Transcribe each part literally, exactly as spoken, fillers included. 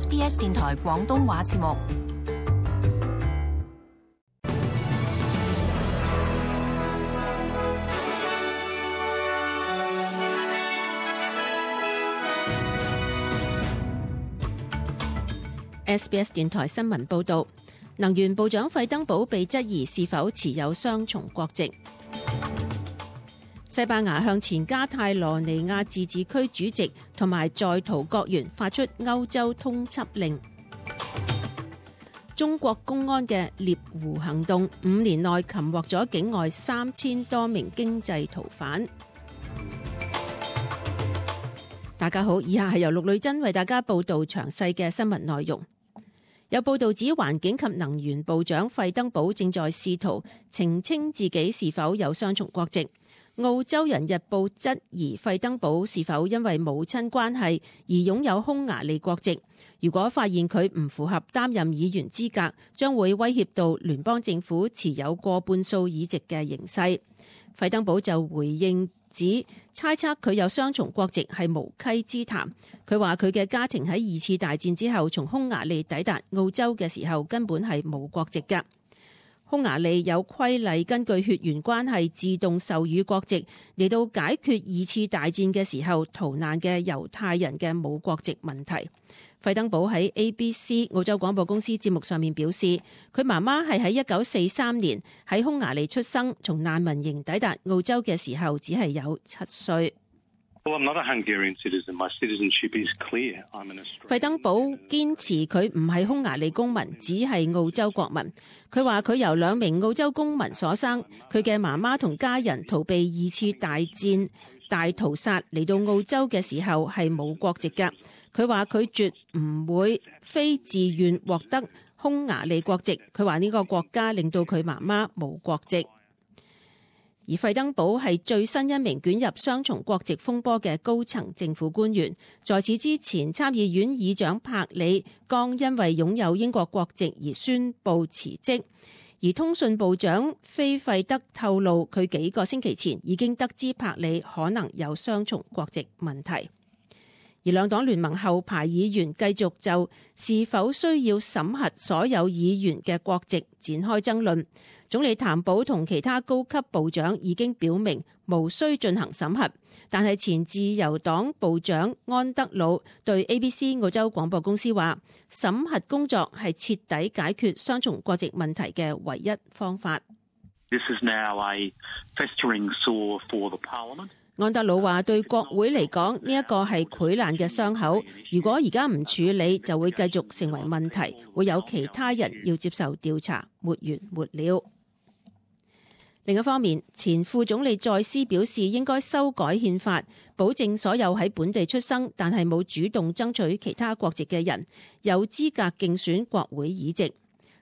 S B S 電台廣東話節目。S B S 電台新聞報道，能源部長費登堡被質疑是否持有雙重國籍。西班牙向前加泰羅尼亞自治區主席同埋在逃國員發出歐洲通緝令。中國公安嘅獵狐行動五年內擒獲咗境外三千多名經濟逃犯。大家好，以下係由陸女珍為大家報道詳細嘅新聞內容。有報道指，環境及能源部長費登堡正在試圖澄清自己是否有雙重國籍。澳洲人日報質疑費登堡是否因為母親關係而擁有匈牙利國籍。如果發現佢唔符合擔任議員資格，將會威脅到聯邦政府持有過半數議席嘅形勢。費登堡就回應指，猜測佢有雙重國籍係無稽之談。佢話佢嘅家庭喺二次大戰之後從匈牙利抵達澳洲嘅時候根本係冇國籍㗎。匈牙利有規例根據血緣關係自動授予國籍，嚟到解決二次大戰嘅時候逃難嘅猶太人嘅冇國籍問題。費登堡喺 A B C 澳洲廣播公司節目上面表示，佢媽媽係喺一九四三年喺匈牙利出生，從難民營抵達澳洲嘅時候只係有七歲。費登堡堅持佢唔係匈牙利公民，只係澳洲國民。佢話佢由兩名澳洲公民所生，佢嘅媽媽同家人逃避二次大戰大屠殺嚟到澳洲嘅時候係冇國籍㗎。佢話佢絕唔會非自願獲得匈牙利國籍。佢話呢個國家令到佢媽媽冇國籍。而費登堡係最新一名捲入雙重國籍風波嘅高層政府官員。在此之前，參議院議長柏里剛因為擁有英國國籍而宣布辭職。而通訊部長菲費德透露，佢幾個星期前已經得知柏里可能有雙重國籍問題。而兩黨聯盟後排議員繼續就是否需要審核所有議員嘅國籍展開爭論。總理譚寶同其他高級部長已經表明無需進行審核，但係前自由黨部長安德魯對 A B C 澳洲廣播公司話，審核工作係徹底解決雙重國籍問題嘅唯一方法。This is now a festering sore for the Parliament. 安德魯話：對國會嚟講，呢一個係潰爛嘅傷口。如果而家唔處理，就會繼續成為問題，會有其他人要接受調查，沒完沒了。另一方面，前副總理再斯表示應該修改憲法，保證所有喺本地出生但係冇主動爭取其他國籍嘅人有資格競選國會議席。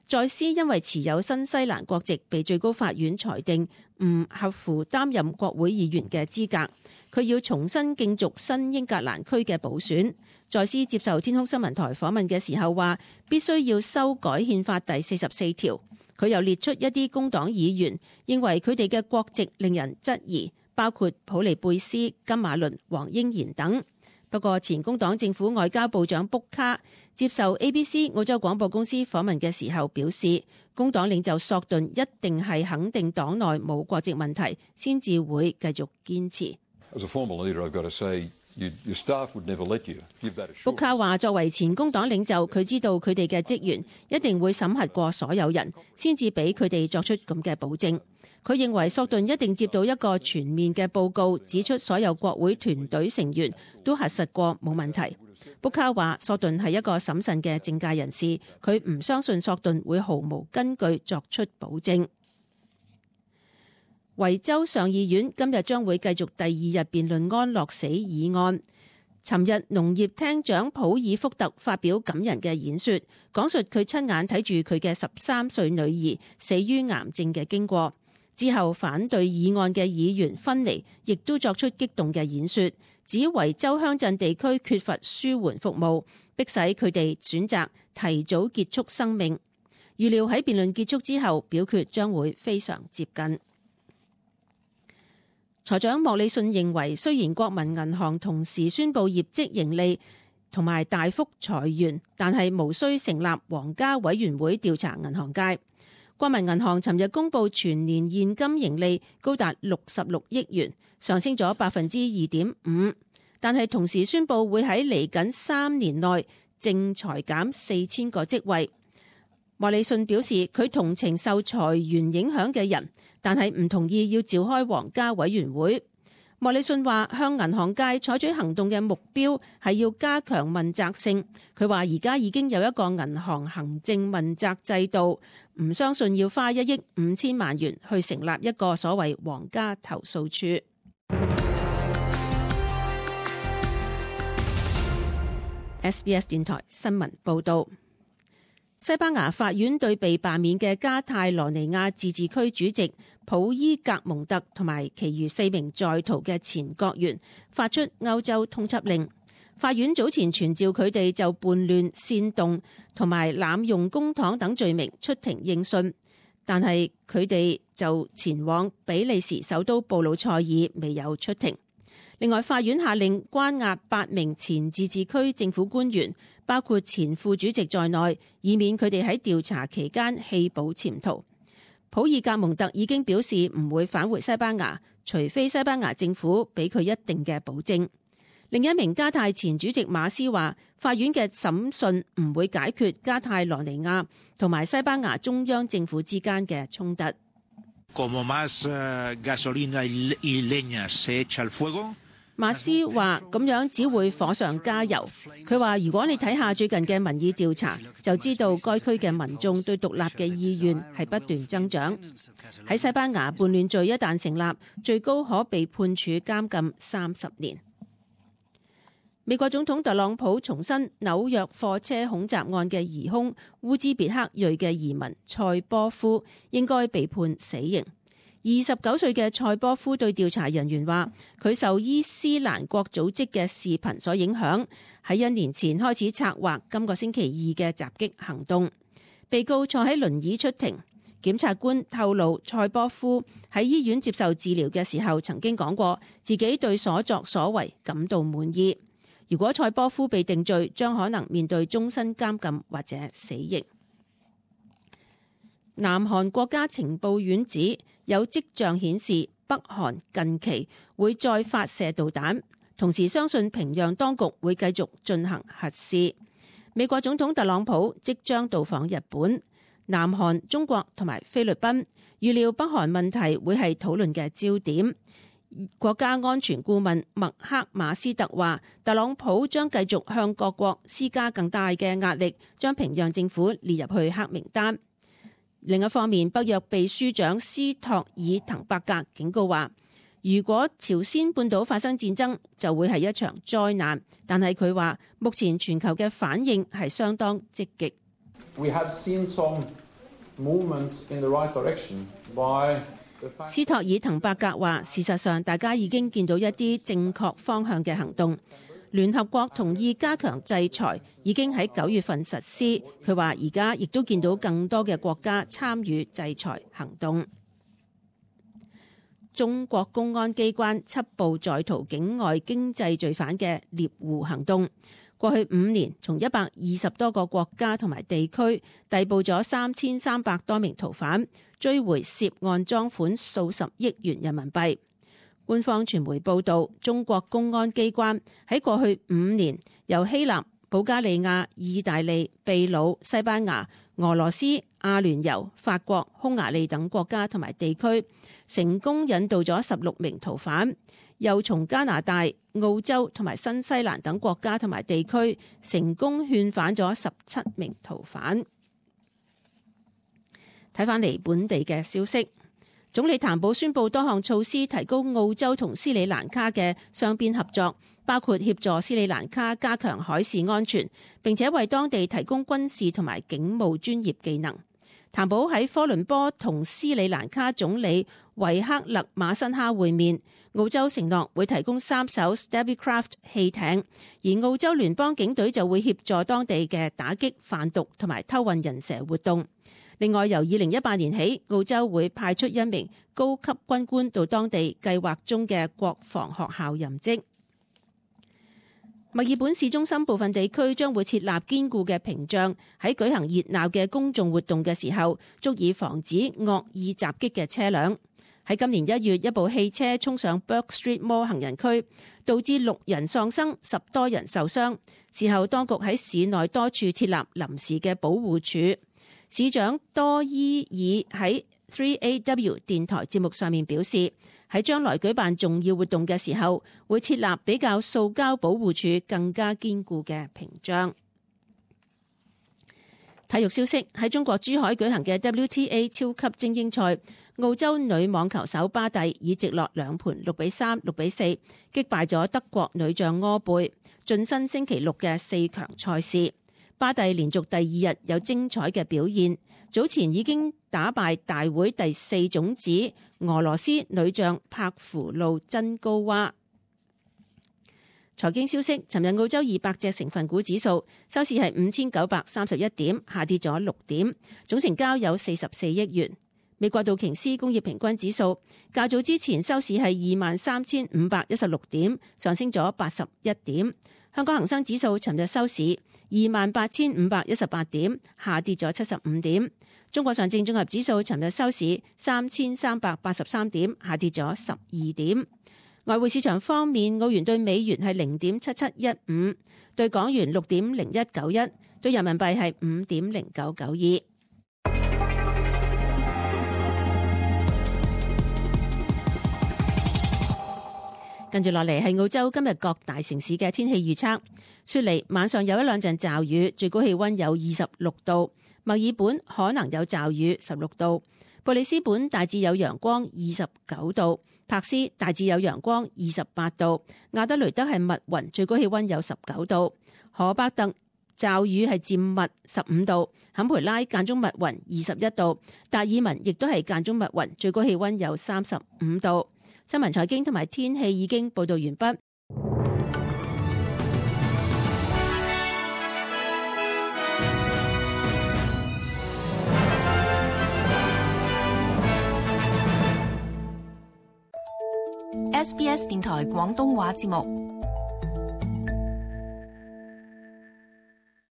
再斯因為持有新西蘭國籍，被最高法院裁定唔合乎擔任國會議員嘅資格，佢要重新競逐新英格蘭區嘅補選。再斯接受天空新聞台訪問嘅時候話，必須要修改憲法第四十四條。佢又列出一啲工黨議員認為佢哋嘅國籍令人質疑，包括普利貝斯、金馬倫、黃英賢等。不過，前工黨政府外交部長卜卡接受 A B C 澳洲廣播公司訪問嘅時候表示，工黨領袖索頓一定係肯定黨內冇國籍問題，先至會繼續堅持。卜卡話：作為前工黨領袖，佢知道佢哋嘅職員一定會審核過所有人，先至俾佢哋作出咁嘅保證。佢認為索頓一定接到一個全面嘅報告，指出所有國會團隊成員都核實過冇問題。卜卡話：索頓係一個審慎嘅政界人士，佢唔相信索頓會毫無根據作出保證。維州上議院今日將會繼續第二日辯論安樂死議案。尋日農業廳長普爾福特發表感人嘅演說，講述佢親眼睇住佢嘅十三歲女兒死於癌症嘅經過。之後反對議案嘅議員芬尼亦都作出激動嘅演說，指維州鄉鎮地區缺乏舒緩服務，迫使佢哋選擇提早結束生命。預料喺辯論結束之後，表決將會非常接近。財長莫里遜認為，雖然國民銀行同時宣布業績盈利，同埋大幅裁員，但係無需成立皇家委員會調查銀行界。國民銀行尋日公布全年現金盈利高達六十六億元，上升咗百分之二點五，但係同時宣布會喺嚟緊三年內淨裁減四千個職位。莫里遜表示，佢同情受裁員影響嘅人，但係唔同意要召開皇家委員會。莫里遜話，向銀行界採取行動嘅目標係要加強問責性。佢話而家已經有一個銀行行政問責制度，唔相信要花一億五千萬元去成立一個所謂皇家投訴處。S B S 電台新聞報道。西班牙法院對被罷免嘅加泰羅尼亞自治區主席普伊格蒙特同埋其餘四名在逃嘅前國員發出歐洲通緝令。法院早前傳召佢哋就叛亂、煽動同埋濫用公帑等罪名出庭應訊，但係佢哋就前往比利時首都布魯塞爾，未有出庭。另外，法院下令關押八名前自治區政府官員，包括前副主席在內，以免佢哋喺調查期間棄保潛逃。普爾格蒙特已經表示唔會返回西班牙，除非西班牙政府俾佢一定嘅保證。另一名加泰前主席馬斯話，法院嘅審訊唔會解決加泰羅尼亞同埋西班牙中央政府之間嘅衝突。馬斯話咁樣只會火上加油。佢話如果你睇下最近嘅民意調查，就知道該區嘅民眾對獨立嘅意願係不斷增長。喺西班牙，叛亂罪一旦成立，最高可被判處監禁三十年。美國總統特朗普重申紐約貨車恐襲案嘅疑兇烏茲別克裔嘅移民塞波夫應該被判死刑。二十九歲嘅塞波夫對調查人員話，佢受伊斯蘭國組織嘅視頻所影響，喺一年前開始策劃今個星期二嘅襲擊行動。被告坐喺輪椅出庭，檢察官透露塞波夫喺醫院接受治療嘅時候曾經講過自己對所作所為感到滿意。如果塞波夫被定罪，將可能面對終身監禁或者死刑。南韓國家情報院指有跡象顯示北韓近期會再發射導彈，同時相信平壤當局會繼續進行核試。美國總統特朗普即將到訪日本、南韓、中國同埋菲律賓，預料北韓問題會係討論嘅焦點。國家安全顧問麥克馬斯特話，特朗普將繼續向各國施加更大嘅壓力，將平壤政府列入去黑名單。另一方面，北約秘書長斯托爾滕伯格警告話，如果朝鮮半島發生戰爭，就會係一場災難。但係佢話，目前全球嘅反應係相當積極。We have seen some movements in the right direction by the fact... 斯托爾滕伯格話，事實上大家已經見到一啲正確方向嘅行動。聯合國同意加強制裁，已經喺九月份實施。佢話而家亦都見到更多嘅國家參與制裁行動。中國公安機關緝捕在逃境外經濟罪犯嘅獵狐行動，過去五年從一百二十多個國家同埋地區逮捕咗三千三百多名逃犯，追回涉案贓款數十億元人民幣。官方傳媒報道，中國公安機關喺過去五年由希臘、保加利亞、意大利、秘魯、西班牙、俄羅斯、阿聯酋、法國、匈牙利等國家同埋地區，成功引渡咗十六名逃犯，又從加拿大、澳洲同埋新西蘭等國家同埋地區成功勸返咗十七名逃犯。睇返嚟本地嘅消息。總理譚寶宣布多項措施，提高澳洲同斯里蘭卡嘅雙邊合作，包括協助斯里蘭卡加強海事安全，並且為當地提供軍事同埋警務專業技能。譚寶喺科倫坡同斯里蘭卡總理維克勒馬辛哈會面，澳洲承諾會提供三艘 Stabbycraft 汽艇，而澳洲聯邦警隊就會協助當地嘅打擊販毒同埋偷運人蛇活動。另外，由二零一八年起，澳洲會派出一名高級軍官到當地計劃中嘅國防學校任職。墨爾本市中心部分地區將會設立堅固嘅屏障，喺舉行熱鬧嘅公眾活動嘅時候，足以防止惡意襲擊嘅車輛。喺今年一月，一部汽車衝上 Bourke Street Mall 行人區，導致六人喪生，十多人受傷。事後當局喺市內多處設立臨時嘅保護處。市長多伊爾喺 三 A W 電台節目上面表示，喺將來舉辦重要活動嘅時候，會設立比較塑膠保護處更加堅固嘅屏障。體育消息，喺中國珠海舉行嘅 W T A 超級精英賽，澳洲女網球手巴蒂以直落兩盤六比三、六比四擊敗咗德國女將柯貝，晉身星期六嘅四強賽事。巴蒂連續第二日有精彩嘅表現，早前已經打敗大會第四種子俄羅斯女將帕芙露珍高娃。財經消息，尋日澳洲二百隻成分股指數收市係五千九百三十一點，下跌咗六點，總成交有四十四億元。美國道瓊斯工業平均指數較早之前收市係二萬三千五百一十六點，上升咗八十一點。香港恒生指數尋日收市二萬八千五百一十八點，下跌咗七十五點。中國上證綜合指數尋日收市三千三百八十三點，下跌咗十二點。外匯市場方面，澳元對美元係零點七七一五，對港元六點零一九一，對人民幣係五點零九九二。跟住落嚟係澳洲今日各大城市嘅天氣預測。雪梨晚上有一兩陣驟雨，最高氣溫有二十六度。墨爾本可能有驟雨，十六度。布里斯本大致有陽光，二十九度。柏斯大致有陽光，二十八度。亞德雷德係密雲，最高氣溫有十九度。荷伯特驟雨係漸密，十五度。坎培拉間中密雲，二十一度。達爾文亦都係間中密雲，最高氣溫有三十五度。新聞財經同埋天氣已經報道完畢。S B S 電台廣東話節目。